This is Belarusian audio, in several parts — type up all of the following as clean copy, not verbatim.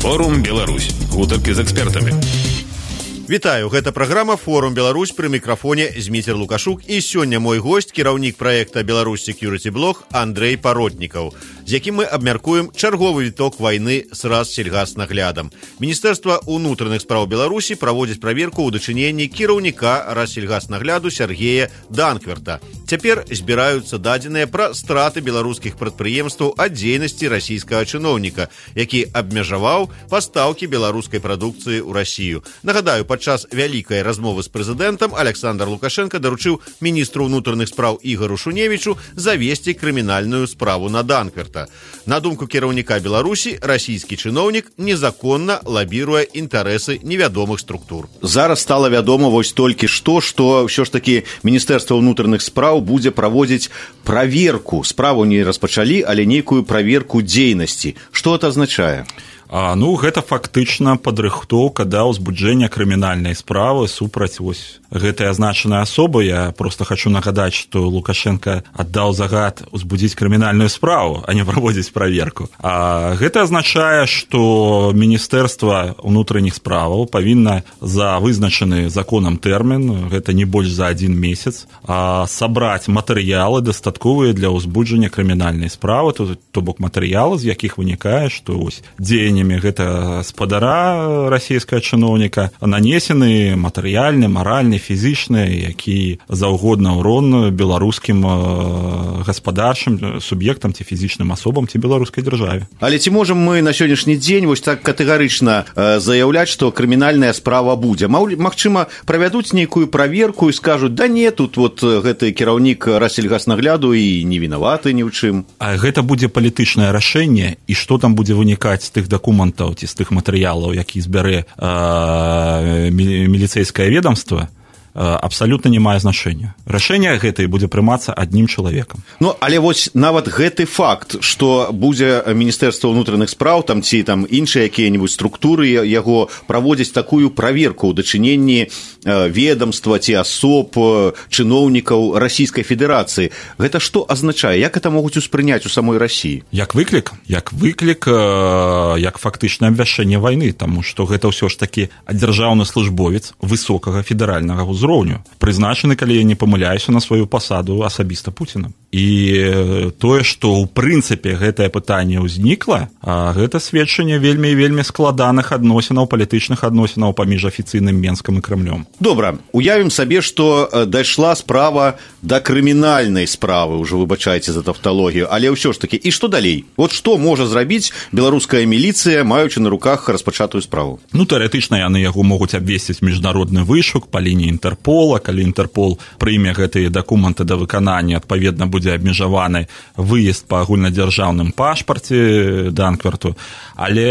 Форум Беларусь. Гутаркі з экспертамі. Вітаю, гэта праграма «Форум Беларусь», пры мікрафоне Зміцер Лукашук, і сёння мой госць, кіраўнік праекта «Беларусь Security Blog» Андрэй Паротнікаў, з якім мы абмяркуем чарговы віток вайны з Рассельгаснаглядам. Міністэрства ўнутраных спраў Беларусі праводзіць праверку ў дачыненні кіраўніка Рассельгаснагляду Сергея Данкверта. Цяпер збіраюцца дадзеныя пра страты беларускіх прадпрыемстваў ад дзейнасці расійскага чыноўніка, які абмежаваў пастаўкі беларускай прадукцыі ў Расію. Нагадаю, падчас вялікай размовы з прэзідэнтам Александр Лукашенко даручыў міністру ўнутраных спраў Ігару Шуневічу завесці крымінальную справу на Данкверта. На думку кіраўніка Беларусі, расійскі чыноўнік незаконна лабіруе інтарэсы невядомых структур. Зараз стала вядома вось толькі што ўсё ж такі Міністэрства ўнутраных спраў будзе праводзіць праверку. Справу не распачалі, але нейкую праверку дзейнасці. Што гэта азначае? Гэта фактычна падрыхтоўка да ўзбуджэння крымінальнай справы супраць гэтай азначанай асобы. Я просто хочу нагадаць, што Лукашенко аддаў загад узбудзіць крымінальную справу, а не праводзіць праверку. Гэта азначае, што Міністэрства ўнутраных справаў павінна за вызначаны законам тэрмін, гэта не больш за 1 месяц, сабраць матэрыялы дастатковыя для ўзбуджання крымінальнай справы, то бок матэрыялы, з якіх вынікае, што дзеяннямі гэта спадара расійскага чыноўніка нанесены матэрыяльны, маральны, фізічны, які заўгодна ўрон беларускім гаспадарчым суб'ектам ці фізічным асобам ці беларускай дзяржаве. Але ці можам мы на сённяшні дзень вось так катэгарычна заяўляць, што крымінальная справа будзе? Магчыма, правядуць нейкую праверку і скажуць: да не, тут гэты кіраўнік Рассельгаснагляду і не вінаваты ні ў чым. Гэта будзе палітычнае рашэнне, і што там будзе вынікаць з тых дакументаў ці з тых матэрыялаў, які збярэ міліцэйскае ведомства, абсалютна не мае значэння. Рашэнне гэтае будзе прымацца адным чалавекам. Але вось нават гэты факт, што будзе Міністэрства ўнутраных спраў ці іншыя якія-небудзь структуры яго праводзяць такую праверку ў дачыненні ведомства ці асоб, чыноўнікаў Расійскай Федэрацыі. Гэта што азначае? Як гэта могуць успрыняць у самой Расіі? Як выклік, як фактычнае абвяшчэнне вайны, таму што гэта ўсё ж такі дзяржаўны службовец высокага федэральнага ўзроўню, прызначаны, калі я не памыляюся, на сваю пасаду асабіста Пуціна. І тое, што ў прынцыпе гэтае пытанне ўзнікла, гэта сведчанне вельмі і вельмі складаных адносінаў, палітычных адносінаў паміж афіцыйным Менскам і Крэмлём. Добра, уявім сабе, што дайшла справа да крымінальнай справы, ужо выбачайце за тавталогію, але ўсё ж такі, і што далей? Што можа зрабіць беларуская міліцыя, маючы на руках распачатую справу? Тэарэтычна яны яго могуць абвесціць міжнародны вышук па лініі Інтэрпола. Калі Інтэрпол прыме гэтыя дакументы да выканання, адпаведна будзе абмежаваны выезд па агульнадзяржаўным пашпарце Данкверту. Але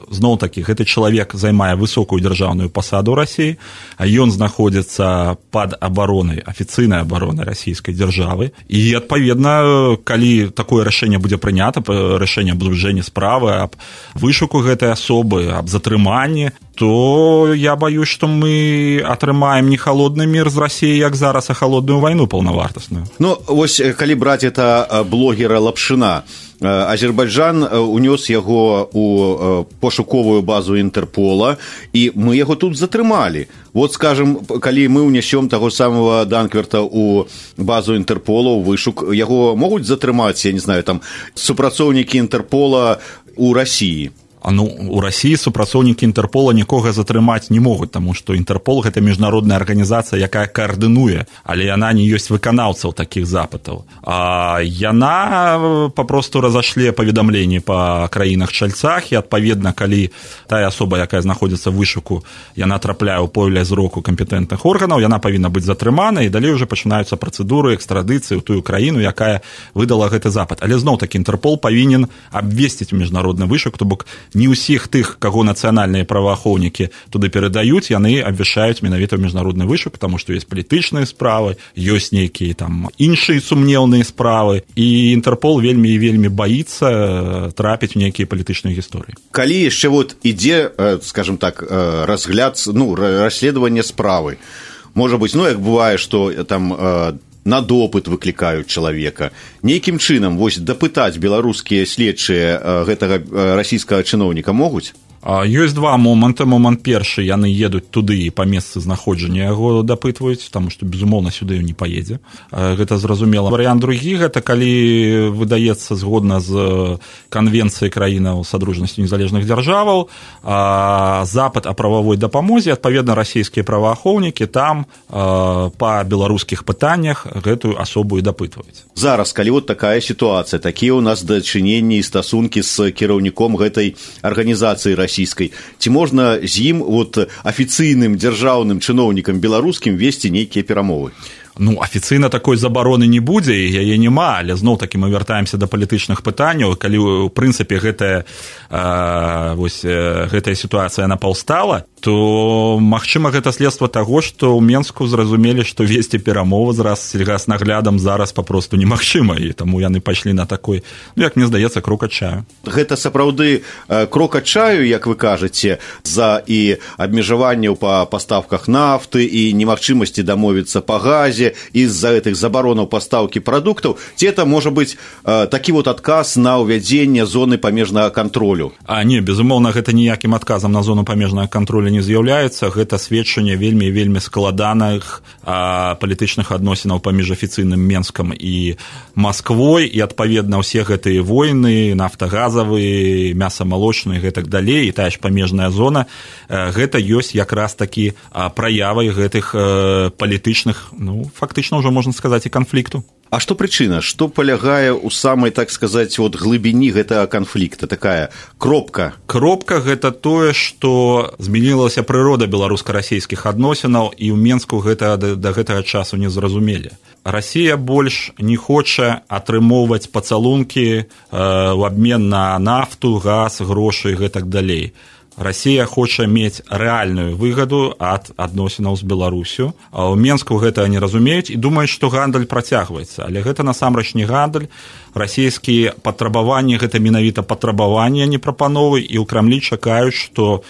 зноў-такі гэты чалавек займае высокую дзяржаўную пасаду ў Расіі, а ён знаходзіцца пад абаронай, афіцыйнай абаронай расійскай дзяржавы. І адпаведна, калі такое рашэнне будзе прынята, рашэнне аб узбуджэнні справы, аб вышуку гэтай асобы, аб затрыманні, то я баюсь, што мы атрымаем не холодны мір з Расіі, як зараз, а холодную вайну паўнавартасную. Вось калі браць это блогера Лапшына, Азербайджан унёс яго ў пошуковую базу Інтэрпола, і мы яго тут затрымалі. Скажем, калі мы ўнясём таго самого Данкверта ў базу Інтэрпола, ў вышук, яго могуць затрымаць, я не знаю, супрацоўнікі Інтэрпола ў Расіі? У Расіі супрацоўнікі Інтэрпола нікога затрымаць не могуць, таму што Інтэрпол — гэта міжнародная арганізацыя, якая каардынуе, але яна не ёсць выканаўцаў такіх запытаў. Яна папросту разашле паведамленні па краінах-чальцах, і адпаведна, калі тая асоба, якая знаходзіцца ў вышуку, яна трапляе ў поле зроку кампетэнтных органаў, яна павінна быць затрымана, і далей уже пачынаюцца працэдуры экстрадыцыі ў тую краіну, якая выдала гэты запыт. Але зноў-такі Інтэрпол павінен абвесціць міжнародны вышук, то бок не ўсіх тых, каго нацыянальныя праваахоўнікі туды перадаюць, яны абвяшчаюць менавіта ў міжнародны вышук, таму што ёсць палітычныя справы, ёсць нейкія іншыя сумнеўныя справы, і Інтэрпол вельмі і вельмі баіцца трапіць у нейкія палітычныя гісторыі. Калі яшчэ ідзе, скажем так, разгляд, расследаванне справы, можа быць, як бывае, што на допыт выклікаюць чалавека. Нейкім чынам вось дапытаць беларускія следчыя гэтага расійскага чыноўніка могуць? Ёсць два моманты. Момант першы, яны едуць туды і па месцы знаходжання яго дапытваюць, таму што, безумоўна, сюды не паедзе. Гэта зразумела. Варыянт другі, гэта калі выдаецца згодна з канвенцыяй краінаў садружнасці незалежных дзяржаваў запыт о прававой дапамозе, адпаведна, расійскія праваахоўнікі там па беларускіх пытаннях гэтую асобу і дапытваюць. Зараз, калі вот такая сітуацыя, такія ў нас дачыненні і стасункі з кіраўніком гэтай арганізацыі расійскай, ці можна з ім вот афіцыйным дзяржаўным чыноўнікам беларускім весці нейкія перамовы? Ну, афіцыйна такой забароны не будзе, яе няма, але зноў-такі мы вяртаемся да палітычных пытанняў. Калі, у прынцыпе, гэтая сітуацыя яна паўстала, то, магчыма, гэта следства таго, што ў Менску зразумелі, што весці перамовы з сельгаснаглядам зараз папросту немагчыма, і таму яны пайшлі на такой, як мне здаецца, крок адчаю. Гэта сапраўды крок адчаю, як вы кажаце, за і абмежаванняў па пастаўках нафты і немагчымасці дамовіцца па газе, і з-за гэтых забаронаў пастаўкі прадуктаў, ці это можа быць такі вот адказ на ўвядзенне зоны памежнага кантролю? Не, безумоўна, гэта ніякім адказам на зону памежнага кантролю не з'яўляецца. Гэта сведчанне вельмі складаных палітычных адносінаў паміж афіцыйным Менскам і Масквой, і, адпаведна, ўсе гэтыя войны, нафтагазавыя, мясамалочныя і гэтак далей, і тая ж памежная зона, гэта ёсць якраз такі праявай гэтых палітычных, фактычна ўжо можна сказаць, і канфлікту. А што прычына? Што палягае ў самай, так сказаць, вот глыбіні гэтага канфлікта? Такая кропка? Кропка – гэта тое, што змянілася прырода беларуска-расійскіх адносінаў, і ў Менску гэта да гэтага часу не зразумелі. Расія больш не хоча атрымоўваць пацалункі ў абмен на нафту, газ, грошы і гэтак далей. Расія хоча мець рэальную выгаду ад адносінаў з Беларусю. У Менску гэта не разумеюць і думаюць, што гандаль працягваецца. Але гэта насамрэч не гандаль. Расійскія патрабаванні – гэта менавіта патрабаванні, а не прапановы. І ў Крамлі чакаюць, што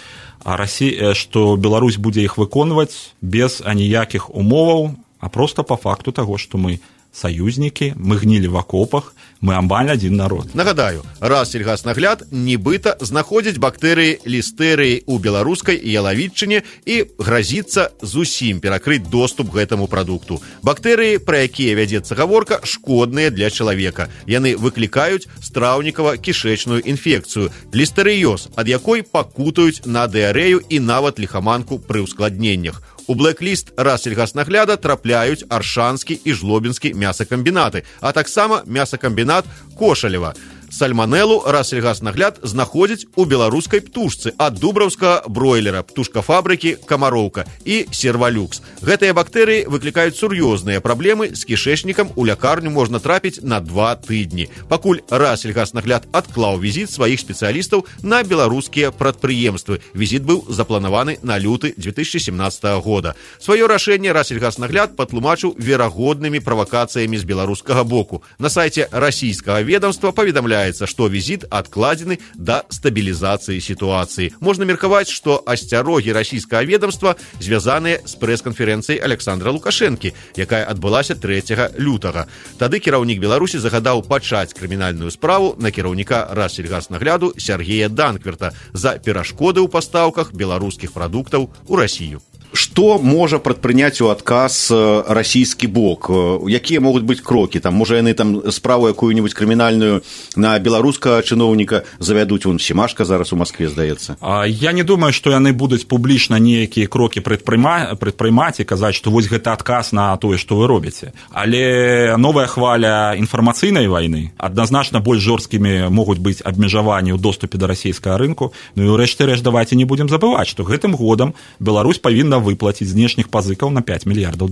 Беларусь будзе іх выконваць без аніякіх умоваў, а проста па факту таго, што мы саюзнікі, мы гнілі в акопах, мы амаль адзін народ. Нагадаю, Рассельгаснагляд нібыта знаходзіць бактэрыі лістэрыі ў беларускай ялавічыне і гразіцца зусім перакрыць доступ к гэтаму прадукту. Бактэрыі, пра якія вядзецца гаворка, шкодныя для чалавека. Яны выклікаюць страўнікава-кішэчную інфекцыю, лістэрыёз, ад якой пакутаюць на дыарэю і нават ліхаманку пры ўскладненнях. У блэк-ліст Рассельгаснагляда трапляюць аршанскі і жлобінскі мясакамбінаты, а таксама мясакамбінат Кошалева. Сальманелу Рассельгаснагляд знаходзіць у беларускай птушцы ад дубраўскага бройлера, птушкафабрыкі «Камароўка» і «Сервалюкс». Гэтыя бактэрыі выклікаюць сур'ёзныя праблемы з кішэчнікам, у лякарню можна трапіць на 2 тыдні. Пакуль Рассельгаснагляд адклаў візіт сваіх спецыялістаў на беларускія прадпрыемствы. Візіт быў запланаваны на люты 2017 года. Сваё рашэнне Рассельгаснагляд патлумачыў верагоднымі правакацыямі з беларускага боку. На сайце расійскага ведомства паведамляецца, што візіт адкладзены да стабілізацыі сітуацыі. Можна меркаваць, што асцярогі расійскага ведомства звязаныя з прэс-канферэнцыяй Александра Лукашэнкі, якая адбылася 3 лютага. Тады кіраўнік Беларусі загадаў пачаць крымінальную справу на кіраўніка Рассельгаснагляду Сергея Данкверта за перашкоды ў пастаўках беларускіх прадуктаў у Расію. Што можа прадпрыняць у адказ расійскі бок? Якія могуць быць крокі? Можа, яны справу якую-нибудь крымінальную на беларускага чыноўніка завядуць? Вон Семашка зараз у Маскве, здаецца. Я не думаю, што яны будуць публічна нейкія крокі прадпрымаць і казаць, што вось гэта адказ на тое, што вы робіце. Але новая хваля інфармацыйнай вайны, адназначна больш жорсткімі могуць быць абмежаванні ў доступе да расійскага рынку. Ну і рэшты-рэшт, давайце не будзем забываць, што гэтым годам Беларусь павінна выплаціць знешніх пазыкаў на $5 мільярдаў.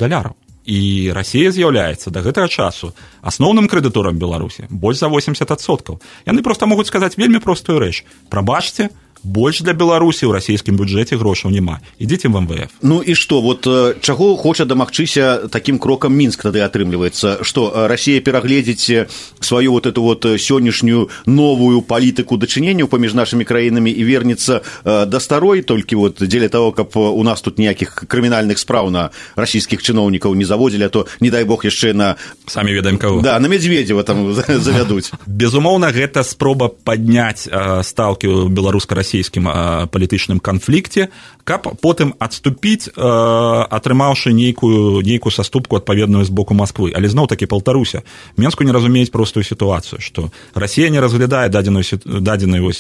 І Расія з'яўляецца да гэтага часу асноўным крэдыторам Беларусі, больш за 80%. Яны проста могуць сказаць вельмі простую рэч. Прабачце, больш для Беларусі ў расійскім бюджэце грошаў няма. Ідзіце в МВФ. Ну і што, вот чаго хоча дамагчыся такім крокам Мінск тады атрымліваецца? Што Расія перагледзіць сваю вот эту вот сённяшнюю новую палітыку дачыненняў паміж нашымі краінамі і вернецца да старой, толькі вот дзеля того, каб у нас тут ніякіх крымінальных спраў на расійскіх чыноўнікаў не заводзілі, а то, не дай бог, яшчэ на... Самі ведаем каго. Да, на Медведева там завядуць. Безумоўна, гэта спроба падняць стаўкі ў беларуска-расійскім палітычным канфлікце, каб потым адступіць, атрымаўшы нейкую саступку адпаведную з боку Масквы. Але зноў-такі паўтаруся, Менску не разумеюць простую сітуацыю, што Расія не разглядае дадзены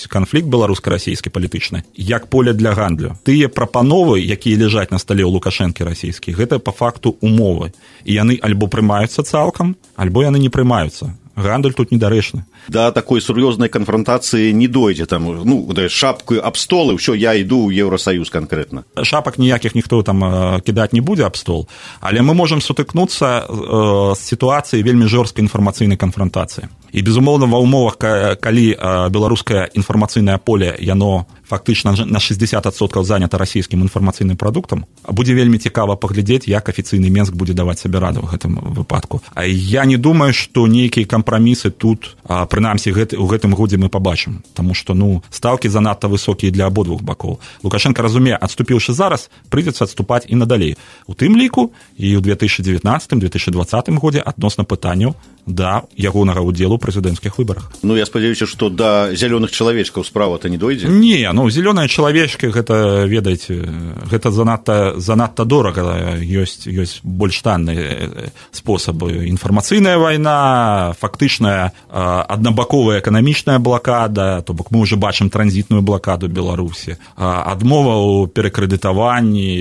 канфлікт беларуска-расійскі палітычны як поле для гандлю. Тыя прапановы, якія ляжаць на стале ў Лукашэнкі расійскі, гэта па факту умовы. І яны альбо прымаюцца цалкам, альбо яны не прымаюцца. Гандаль тут недарэчны. Да такой сур'ёзнай канфронтацыі не дойдзе, там, ну, шапку аб стол, і ўсё, я іду ў Еўрасаюз канкрэтна. Шапак ніякіх ніхто там кідаць не будзе аб стол, але мы можам сутыкнуцца з сітуацыяй вельмі жорсткай інфармацыйнай канфронтацыі. І, безумоўна, ва ўмовах, калі беларускае інфармацыйнае поле, яно фактычна на 60% занята расійскім інфармацыйным прадуктам, будзе вельмі цікава паглядзець, як афіцыйны Менск будзе даваць сабе раду ў гэтым выпадку. А я не думаю, што нейкія кампрамісы тут, прынамсі, у гэтым годзе мы пабачым, таму што, стаўкі занадта высокія для абодвух бакоў. Лукашенко разумее, адступіўшы зараз, прыйдзецца адступаць і надалей. У тым ліку і ў 2019-2020 годзе адносна пытанняў да ягонага ўдзелу ў прэзідэнцкіх выбарах. Ну, я спадзяюся, што да зялёных чалавечкаў справа-то не дойдзе? Не, зялёныя чалавечкі, гэта, ведаеце, гэта занадта дорага. Ёсць больш танныя спосабы. Інфармацыйная вайна, фактычная аднабаковая эканамічная блакада, то бок мы ўжо бачым транзітную блакаду Беларусі, адмова ў перакрэдытаванні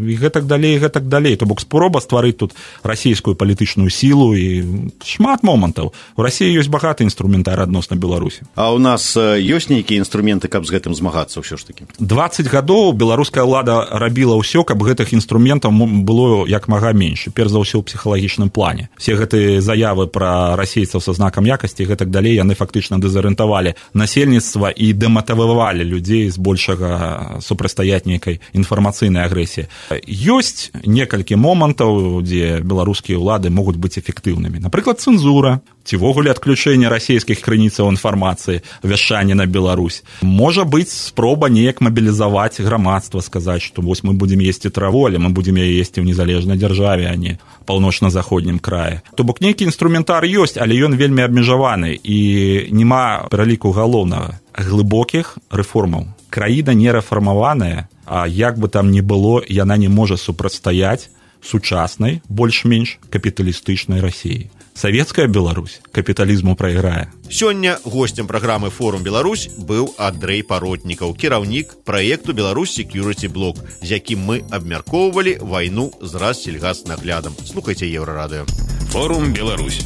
і гэтак далей. То бок спроба стварыць тут расійскую палітычную сілу і шмат момантаў. У Расіі ёсць багаты інструментар адносна Беларусі. А ў нас ёсць нейкія інструменты, каб з гэтым змагацца ўсё ж такі? 20 гадоў беларуская ўлада рабіла ўсё, каб гэтых інструментаў было як мага менш, перш за ўсё ў псіхалагічным плане. Все гэтыя заявы пра расейцаў са знакам якасці і гэтак далей, яны фактычна дэзарыентавалі насельніцтва і дэматывавалі людзей з большага супрацьстаяць нейкай інфармацыйнай агрэсіі. Ёсць некалькі момантаў, дзе беларускія ўлады могуць быць эфектыўнымі. Напрыклад, цэнзура, ці вогуле адключэнне расійскіх крыніцаў інфармацыі, вяшчанне на Беларусь. Можа быць спроба неяк мабілізаваць грамадства, сказаць, што вось мы будзем есці траву, але мы будзем яе есці ў незалежнай дзяржаве, а не паўночна-заходнім краі. То бок нейкі інструментар ёсць, але ён вельмі абмежаваны і няма пераліку галоўнага глыбокіх рэформаў. Краіна не рэфармаваная, а як бы там ні было, яна не можа супрацьстаяць сучаснай, больш-менш капіталістычнай Расіі. Савецкая Беларусь капіталізму прайграе. Сёння гостем праграмы «Форум Беларусь» быў Андрэй Паротнікаў, кіраўнік праекту «Беларусь Security Block», з якім мы абмяркоўвалі вайну з Рассельгаснаглядам. Слухайце Еўрарадыё. «Форум Беларусь».